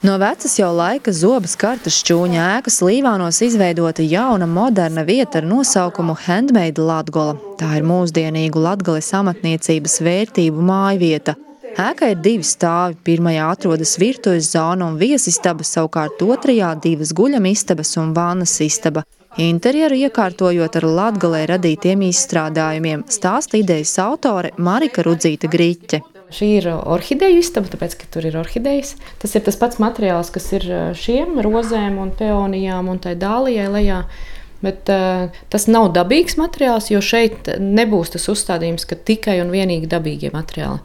No vecas jau laika Zobas kartas šķūņa ēkas Līvānos izveidota jauna, moderna vieta ar nosaukumu Handmade Latgola. Tā ir mūsdienīgu Latgales amatniecības vērtību mājvieta. Ēkai ir 2 stāvi. Pirmajā atrodas virtuves zona un viesistaba, savukārt otrajā 2 guļamistabas un vannas istaba. Interjeru iekārtojot ar Latgalē radītiem izstrādājumiem, stāsta idejas autore Marika Rudzīte Griķe. Šī ir orhideju istaba, tāpēc, ka tur ir orhidejas. Tas ir tas pats materiāls, kas ir šiem rozēm un peonijām un tai dālijai lejā. Bet tas nav dabīgs materiāls, jo šeit nebūs tas uzstādījums, ka tikai un vienīgi dabīgie materiāli.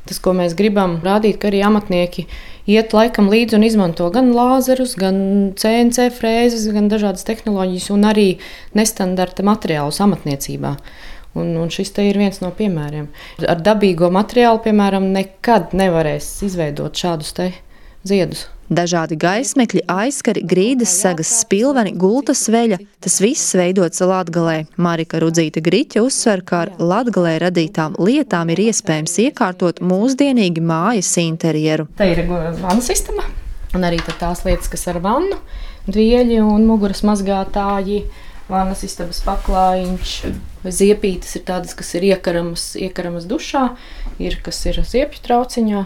Tas, ko mēs gribam rādīt, ka arī amatnieki iet laikam līdzi un izmanto gan lāzerus, gan CNC frēzes, gan dažādas tehnoloģijas un arī nestandarta materiālus amatniecībā. Un šis te ir viens no piemēriem. Ar dabīgo materiālu, piemēram, nekad nevarēs izveidot šādus te ziedus. Dažādi gaismekļi, aizskari, grīdas segas, spilveni, gultas veļa – tas viss veidots Latgalē. Marika Rudzīte Griķe uzsver, ka ar Latgalē radītām lietām ir iespējams iekārtot mūsdienīgi mājas interjeru. Te ir vannas istaba un arī tās lietas, kas ar vannu, dvieļi un muguras mazgātāji, vannas istabas paklājiņš. Ziepītes ir tādas, kas ir iekaramas dušā, kas ir ziepju trauciņā.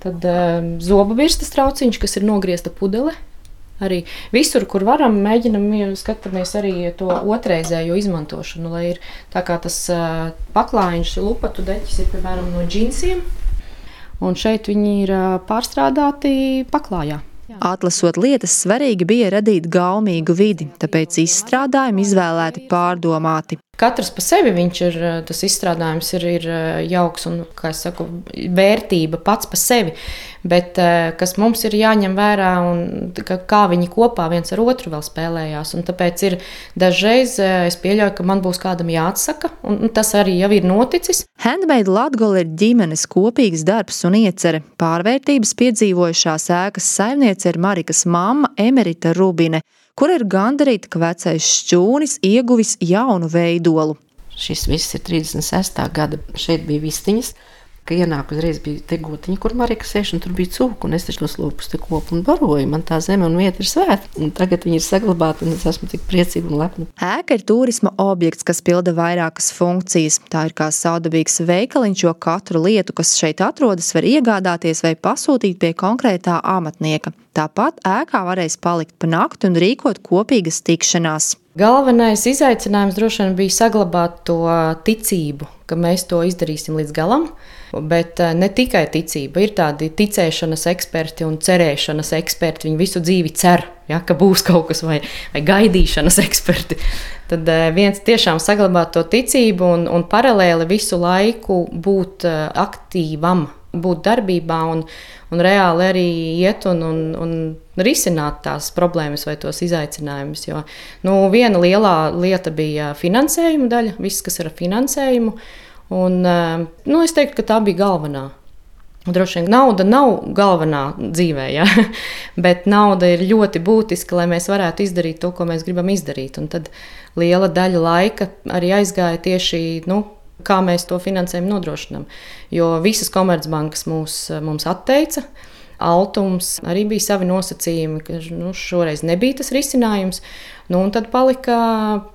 Tad zobu virstas trauciņš, kas ir nogriezta pudele. Arī visur, kur varam, skatāmies arī to otrreizējo izmantošanu, lai ir tā kā tas paklājiņš, lupatu deķis ir, piemēram, no džinsiem. Un šeit viņi ir pārstrādāti paklājā. Atlasot lietas, svarīgi bija radīt gaumīgu vidi, tāpēc izstrādājumi izvēlēti pārdomāti. Katrs pa sevi tas izstrādājums ir jauks un, kā es saku, vērtība pats pa sevi, bet kas mums ir jāņem vērā un kā viņi kopā viens ar otru vēl spēlējās. Un tāpēc ir dažreiz es pieļauju, ka man būs kādam jāatsaka, un tas arī jau ir noticis. Handmade Latgola ir ģimenes kopīgs darbs un iecere. Pārvērtības piedzīvojušās ēkas saimniece ir Marikas mamma Emerita Rubine, kur ir gandarīta, ka vecais šķūnis ieguvis jaunu veidolu. Šis viss ir 36. gada. Šeit bija vistiņas, ka ienāk uzreiz bija te gotiņa, kur Marika sēž, un tur bija cūku, un es taču tos lūpus te kopu un baroju. Man tā zeme un vieta ir svēta, un tagad viņi ir saglabāti, un es esmu tik priecīga un lepna. Ēka ir turisma objekts, kas pilda vairākas funkcijas. Tā ir kā saudabīgs veikaliņš, jo katru lietu, kas šeit atrodas, var iegādāties vai pasūtīt pie konkrētā amatnieka. Tāpat ēkā varēs palikt pa nakti un rīkot kopīgas tikšanās. Galvenais izaicinājums droši vien bija saglabāt to ticību, ka mēs to izdarīsim līdz galam, bet ne tikai ticība. Ir tādi ticēšanas eksperti un cerēšanas eksperti, viņi visu dzīvi cer, ka būs kaut kas vai gaidīšanas eksperti. Tad viens tiešām saglabāt to ticību un paralēli visu laiku būt aktīvam, būt darbībā un reāli arī iet un risināt tās problēmas vai tos izaicinājumus. Jo viena lielā lieta bija finansējuma daļa, viss, kas ir ar finansējumu. Un, es teiktu, ka tā bija galvenā. Droši vien nauda nav galvenā dzīvē, bet nauda ir ļoti būtiska, lai mēs varētu izdarīt to, ko mēs gribam izdarīt. Un tad liela daļa laika arī aizgāja tieši, kā mēs to finansējumu nodrošinām. Jo visas komercbankas mums atteica. Altums arī bija savi nosacījumi, ka šoreiz nebija tas risinājums. Un tad palika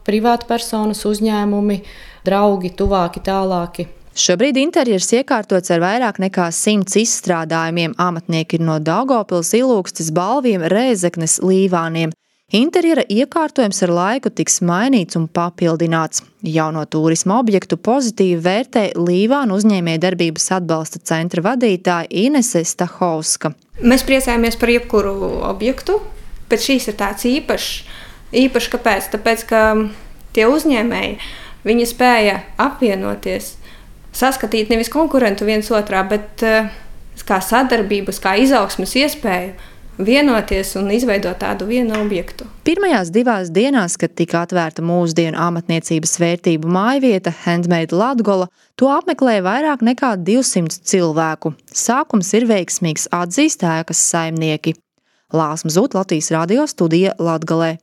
privāta personas, uzņēmumi, draugi, tuvāki, tālāki. Šobrīd interjers iekārtots ar vairāk nekā 100 izstrādājumiem. Amatnieki ir no Daugavpils, Ilūkstes, Balviem, Rēzeknes, Līvāniem. Interjera iekārtojums ar laiku tiks mainīts un papildināts. Jauno turisma objektu pozitīvi vērtē Līvānu uzņēmējdarbības atbalsta centra vadītāja Inese Stahovska. Mēs priecājamies par jebkuru objektu, bet šīs ir tāds īpašs kāpēc? Tāpēc, ka tie uzņēmēji, viņi spēja apvienoties, saskatīt nevis konkurentu viens otrā, bet kā sadarbības, kā izaugsmes iespēju, vienoties un izveidot tādu vienu objektu. Pirmajās 2 dienās, kad tika atvērta mūsdienu amatniecības vērtību mājvieta Handmade Latgola, to apmeklēja vairāk nekā 200 cilvēku. Sākums ir veiksmīgs, atzīst ēkas saimnieki. Lāsma Zut, Latvijas radio studija Latgalē.